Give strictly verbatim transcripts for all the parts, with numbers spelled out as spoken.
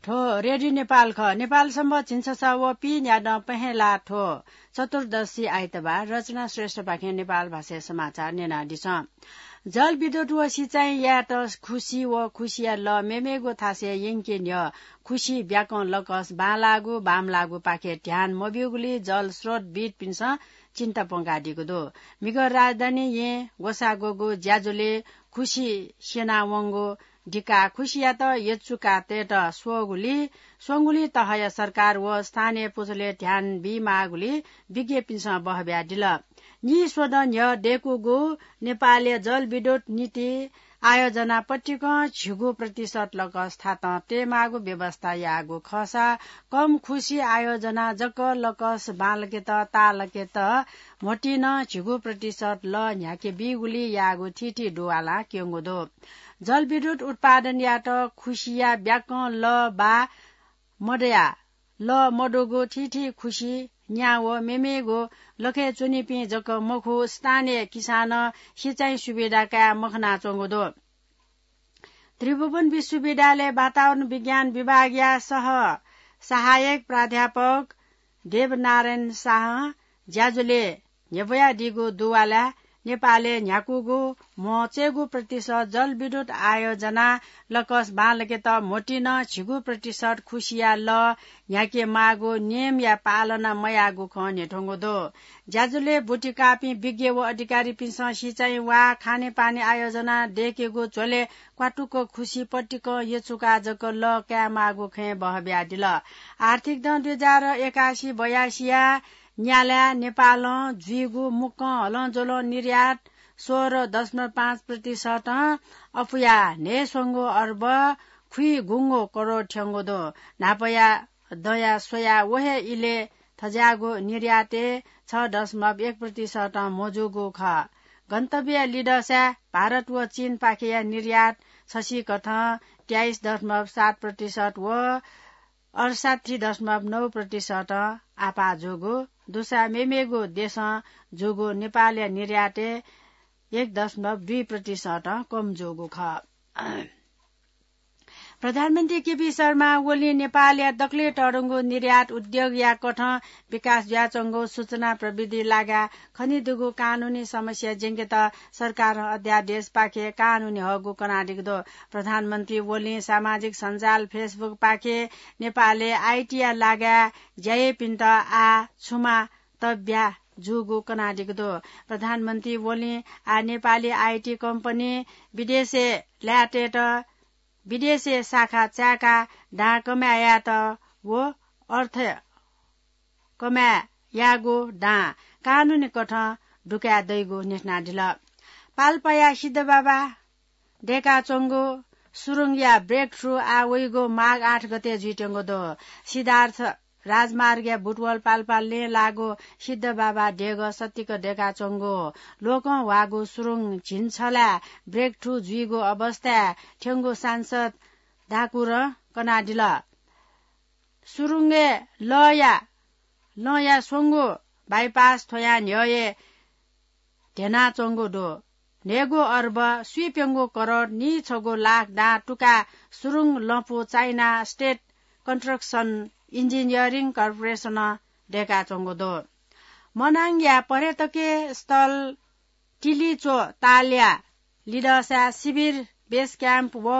थ्व रेडियो नेपाल खः। नेपाल सम्बत झिंछसः व पीन्यादँ पहेँला थ्व चतुर्दशी आइतबार। रचना श्रेष्ठपाखें नेपाल भाषाय् समाचार न्यनादिसँ। जलविद्युत व सिँचाइ यायेत खुसि व खुसिया लः मेमेगु थासय् यंके न्ह्यः खुसि ब्याकं लकस बांलाःगु बांमलाःगुपाखे ध्यान मब्यूगुलिं जल स्रोतविद्पिन्सं चिन्ता प्वंकादीगु दु। म्हिगः राजधानी येँ ग्वसाः ग्वःगु ज्याझ्वलय् खुसि स्यनावंगु दिकाः खुसियात यचुकातयेत स्वःगुलिं, स्वंगुलिं तहया सरकार व स्थानीय पुचलय् ध्यान बीमाःगुलिं विज्ञपिन्सं बहब्यादिल। नीस्वदँ न्ह्यः दय्कूगु नेपालया जलविद्युत नीति आयोजना पतिकं झिगू प्रतिशत लकस थातं तयेमाःगु व्यवस्था याःगु खःसा कम खुसि आयोजना जक लकस बांलाकेत ताःलाकेत म्हतिनं झिगू प्रतिशत लः न्ह्याके बीगुलिं याःगु थीथी दुवालां क्यंगु दु। जलविद्युत उत्पादन यायेत खुसिया ब्याकं लः बा मदया, लः मदुगु थीथी खुसि न्या व मेमेगु लखय् च्वनीपिं जक मखु, स्थानीय किसानं सिँचाइ सुविधा काये मखनाच्वंगु दु। त्रिभुवन विश्वविद्यालय वातावरण विज्ञान विभागया सह सहायक प्राध्यापक देवनारायण शाहं ज्याझ्वलय् न्ह्यब्वयादीगु दुवालाय् नेपालय् न्ह्याकूगु म्हचय्गू प्रतिशत जलविद्युत आयोजना लकस बांलाकेत म्हतिनं झिगू प्रतिशत खुसिया लः न्ह्याके माःगु नियमया पालना मयाःगु खँ न्ह्यथंगु दु। ज्याझ्वलय् ब्वति काःपिं विज्ञ व अधिकारीपिन्सं सिँचाइ वा खानेपानी आयोजना दय्केगु झ्वलय् क्वातुक खुसि पतिकं यचुकाः जक लः कायेमाःगु खँय् बहब्यादिल। आर्थिक दँ दुई हजार एकासी बयासीया न्यालाय् नेपालं जुइगु मुक्कं हलंज्वलं निर्यात सोह्र दशमलव पाँच प्रतिशतं अपुया न्हय्स्वंगू अर्ब खुइगुंगू करोड थ्यंगु दु। न्हापाया दँया स्वयाः व हे इलय् थज्याःगु निर्यातय् छ दशमलव एक प्रतिशतं मजूगु खः। गन्तव्य लिदःसाय् भारत व चीनपाखेया निर्यात छसिकथं तेइस दशमलव सात प्रतिशत व अठसट्ठी दशमलव नौ प्रतिशतं आपाः जूगु दुसा मेमेगु देशं जूगु नेपालया निर्यातय् एक दशमलव दुई प्रतिशतं कम जूगु खः। प्रधानमन्त्री केपी शर्मा ओलीं नेपालया दकलय् तःधंगु निर्यात उद्योगया कथं विकास जुयाच्वंगु सूचना प्रविधि लागाय् खनीदुगु कानूनी समस्या ज्यंकेत सरकारं अध्यादेशपाखे कानूनी हःगु कनादीगु दु। प्रधानमन्त्री ओलीं सामाजिक सञ्जाल Facebook पाखे नेपालय् आइटीया लागाय् ज्या याइपिन्त आः छुमा तब्या जूगु कनादीगु दु। प्रधानमन्त्री ओलीं आः नेपाली आइटी कम्पनी विदेशय् लायेतय्त विदेशय् शाखा चाय्काः दां कमाय् यायेत व अर्थ कमाय् यायेगु दां कानूनी कथं दुकाये दइगु न्ह्यथनादिल। पाल्पाया सिद्धबाबा दय्काच्वंगु सुरुङया breakthrough आः वइगु माघ आठ गते जुइत्यंगु दु। सिद्धार्थ राजमार्गया बुटवल पाल्पा लँय् लाःगु सिद्धबाबा देगः सतिक दय्काच्वंगु। लोकंह्वाःगु सुरुङ झिंछलाय् breakthrough जुइगु अवस्थाय् थ्यंगु सांसद ठाकुरं कनादिल। सुरुङय् लःया, लँया स्वंगु bypass थ्वयां न्ह्यः हे ध्यनाच्वंगु दु। न्हय्गू अर्ब स्वीप्यंगू करोड नीछगू लाख दां तुकाः सुरुङ लँपु China State Construction Engineering Corporation-ं दय्काच्वंगु दु। मनाङया पर्यटकीय स्थल तिलिचो तालया लिदःसाय् शिविर, base camp व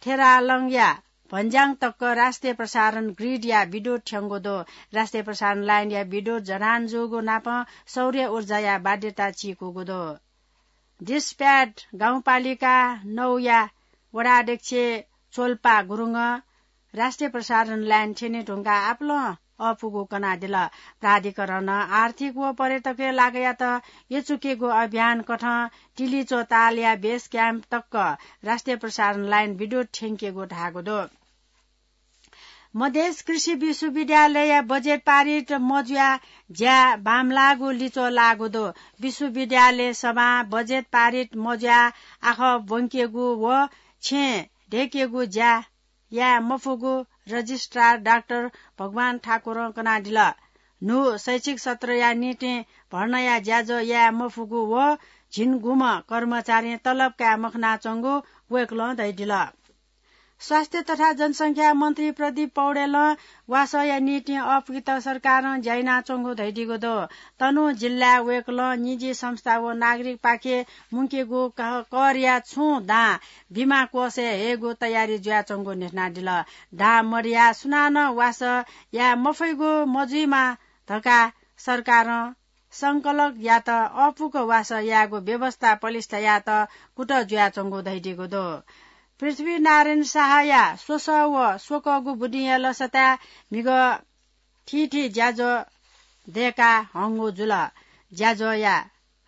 थेरालङया भन्ज्याङ तक राष्ट्रिय प्रसारण grid-या विद्युत थ्यंगु दु। राष्ट्रिय प्रसारण line-या विद्युत जडान जूगु नापं सौर्य ऊर्जाया बाध्यता चीकूगु दु। दिसप्याट गाउँपालिका नौया वडा अध्यक्ष चोल्पा गुरुङं राष्ट्रिय प्रसारण line थ्यने धुंकाः आपालं अःपुगु कनादिल। प्राधिकरणं आर्थिक व पर्यटकीय लागतयात यचुकेगु अभियान कथं तिलिचो तालया base camp तक राष्ट्रिय प्रसारण line विद्युत थ्यंकेगु धाःगु दु। मधेस कृषि विश्वविद्यालयया बजेट पारित मजुयाः ज्या बांमलाःगु लिच्वः लाःगु दु। विश्वविद्यालय सभां बजेट पारित मजुयाः आखः ब्वंकेगु व छेँ दय्केगु ज्या याये मफुगु रजिस्ट्रार डाक्टर भगवान ठाकुरं कनादिल। न्हू शैक्षिक सत्रया निंतिं भर्नाया ज्याझ्वः याये मफुगु व झिंगुम्ह कर्मचारीं तलब काये मखनाच्वंगु वय्कलं धयादिल। स्वास्थ्य तथा जनसंख्या मन्त्री प्रदीप पौडेलं वासःया निंतिं अःपुकेत सरकारं ज्या यानाच्वंगु धयादीगु दु। तनहुँ जिल्लाय् वय्कलं निजी संस्था व नागरिकपाखें मुंकेगु क-, करया छुं दां बिमा कोषय् हयेगु तयारी जुयाच्वंगु न्ह्यथनादिल। दां मदयाः सुनानं वासः याये मफइगु मजुइमा धकाः सरकारं संकलकयात अःपुक वासः यायेगु व्यवस्था पलिस्था यायेत कुतः जुयाच्वंगु धयादीगु दु। पृथ्वीनारायण शाहया स्वसः व स्वकःगु बुदिंया लसताय् म्हिगः थीथी ज्याझ्वः दय्का हंगु जुल। ज्याझ्वःया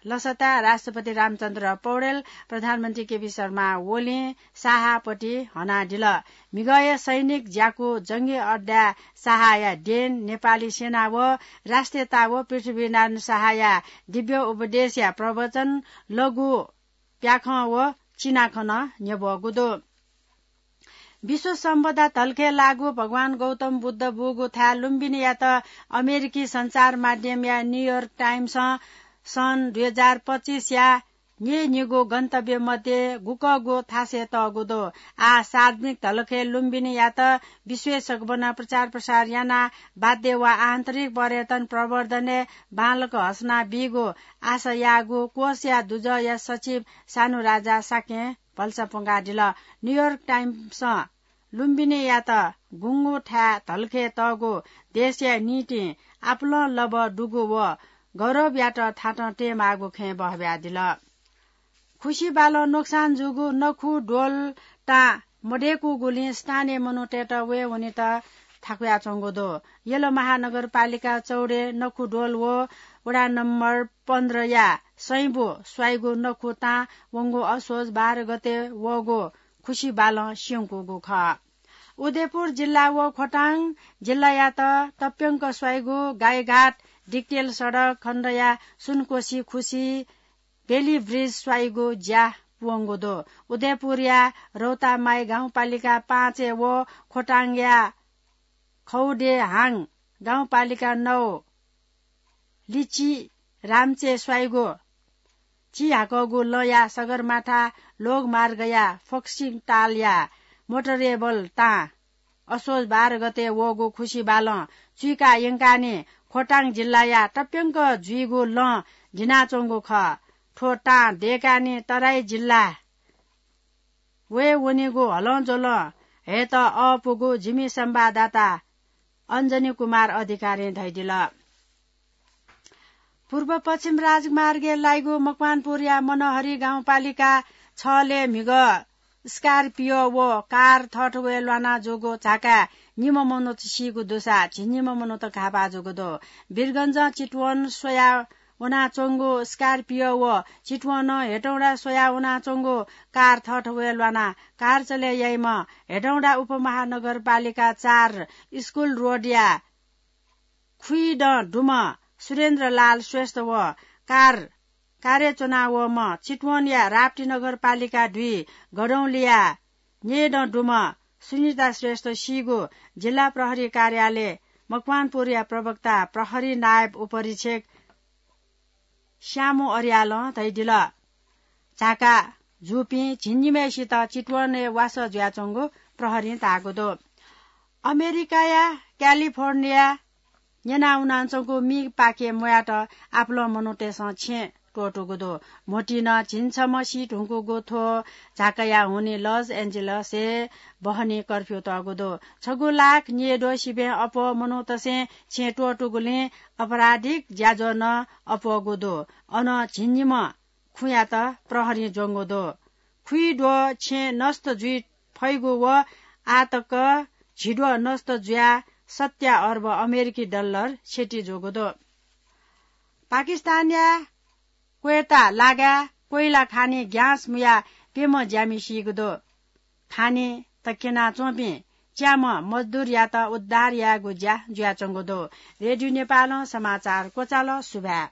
लसताय् राष्ट्रपति रामचन्द्र पौडेल, प्रधानमन्त्री केपी शर्मा ओलीं शाहपति हनादिल। म्हिगःया सैनिक ज्याकू जंगी अड्डाय् शाहया देन, नेपाली सेना व राष्ट्रियता व पृथ्वीनारायण शाहया दिव्य उपदेशया प्रवचन, लघु प्याखं व चिनाखँ नं न्ह्यब्वःगु दु। विश्व सम्पदा धलखय् लाःगु भगवान गौतम बुद्ध बूगु थाय् लुम्बिनीयात अमेरिकी सञ्चार माध्यमया न्यूयोर्क टाइम्सं सन् दुई हजार पच्चिसया न्यय्निगू गन्तव्य मध्ये गुकःगु थासय् तःगु दु। आः सार्वजनिक धलखय् लुम्बिनीयात विश्वय् सकभनं प्रचार प्रसार यानाः बाध्य वा आन्तरिक पर्यटन प्रवर्धनय् बांलाक हसना बीगु आशा याःगु कोषया दुजःया सचिव सानुराजा शाक्यं भलसा प्वंकादिल। न्यूयोर्क टाइम्सं लुम्बिनीयात गुंगू थाय् धलखय् तःगु देशया निंतिं आपालं लबः दुगु व गौरवयात थातं तयेमाःगु खँय् बहब्यादिल। खुसि बालं नोक्सान जूगु नखु द्वल तां मदय्कूगुलिं स्थानीय मनूतय्त वये वनेत थाकुयाच्वंगु दु। यल महानगरपालिका चौडे नखु द्वल व वडा नम्बर पन्ध्रया सैंबु स्वाइगु नखु तां वंगु असोज बाह्र गते वःगु खुसि बालं स्यंकूगु खः। उदयपुर जिल्ला व खोटाङ जिल्लायात तप्यंक स्वाइगु गाईघाट डिक्टेल सडक खण्डया सुनकोशी खुसि बेली ब्रिज स्वाइगु ज्या पुवंगु दु। उदयपुरया रौतामाई गाउँपालिका पाँचय् व खोटाङया खौडेहाङ गाउँपालिका नौ लिची रामचे स्वाइगु चिहाकःगु लँया सगरमाथा लोकमार्गया फोक्सिङतालया मोटरेबल तां असोज बाह्र गते वःगु खुसि बालं चुइका यंकाने खोटाङ जिल्लाया तप्यंक जुइगु लँ दिनाच्वंगु खः। थ्व तां दय्काने तराई जिल्ला वये वनेगु हलंज्वलं हयेत अःपुगु जिमि संवाददाता अञ्जनी कुमार अधिकारीं धयादिल। पूर्व पश्चिम राजमार्गय् लाइगु मकवानपुरया मनोहरी गाउँपालिका छलय् म्हिगः स्कर्पियो व कार थःथवय् ल्वाना जूगु झाकाय् निम्ह मनूत सीगु दुसा झिंनिम्ह मनूत घाःपाः जूगु दु। वीरगञ्जं चितवन स्वया वनाच्वंगु स्कर्पियो व चितवनं हेटौँडा स्वया वनाच्वंगु कार थःथवय् ल्वानाः कार चले याइम्ह हेटौँडा उपमहानगरपालिका चार स्कुल रोडया खुइदँ दुम्ह सुरेन्द्रलाल श्रेष्ठ व कार, कार्य च्वनावःम्ह चितवनया राप्ती नगरपालिका दुई गडौंलिया न्येदँ दुम्ह सुनिता श्रेष्ठ सीगु जिल्ला प्रहरी कार्यालय मकवानपुरया प्रवक्ता प्रहरी नायब उपरीक्षक श्यामु अर्यालं धयादिल। झाका जूपिं झिंनिम्हय्सित चितवनय् वासः जुयाच्वंगु प्रहरीं धाःगु दु। अमेरिकाया क्यालिफोर्निया न्यनावनाच्वंगु मीपाखे म्वायेत आपालं मनूतय्सं छेँ त्वःतूगु दु। म्होतिं नं झिंछम्ह सी धुंकूगु थ्व झाकाया हुनिं लस एन्जेलसय् बहनी कर्फ्यू तःगु दु। छगू लाख न्येद्वः सिबें अप्वः मनूतय्सं छेँ त्वःतूगुलिं आपराधिक ज्याझ्वः नं अप्वःगु दु। अनं झिंनिम्ह खुँयात प्रहरीं ज्वंगु दु। खुइद्वः छेँ नष्ट जुइ फइगु व आःतक झिद्वः नष्ट जुयाः सत्या अर्ब अमेरिकी डलर क्षति जूगु दु। पाकिस्तानया क्वेटा लागाय् कोइला खानी ग्यास मुयाः प्यम्ह ज्यामि सीगु दु। खानी तक्यनाच्वंपिं च्याम्ह मजदुरयात उद्धार यायेगु ज्या जुयाच्वंगु दु। रेडियो नेपालं समाचार क्वचाल। सुभाय्।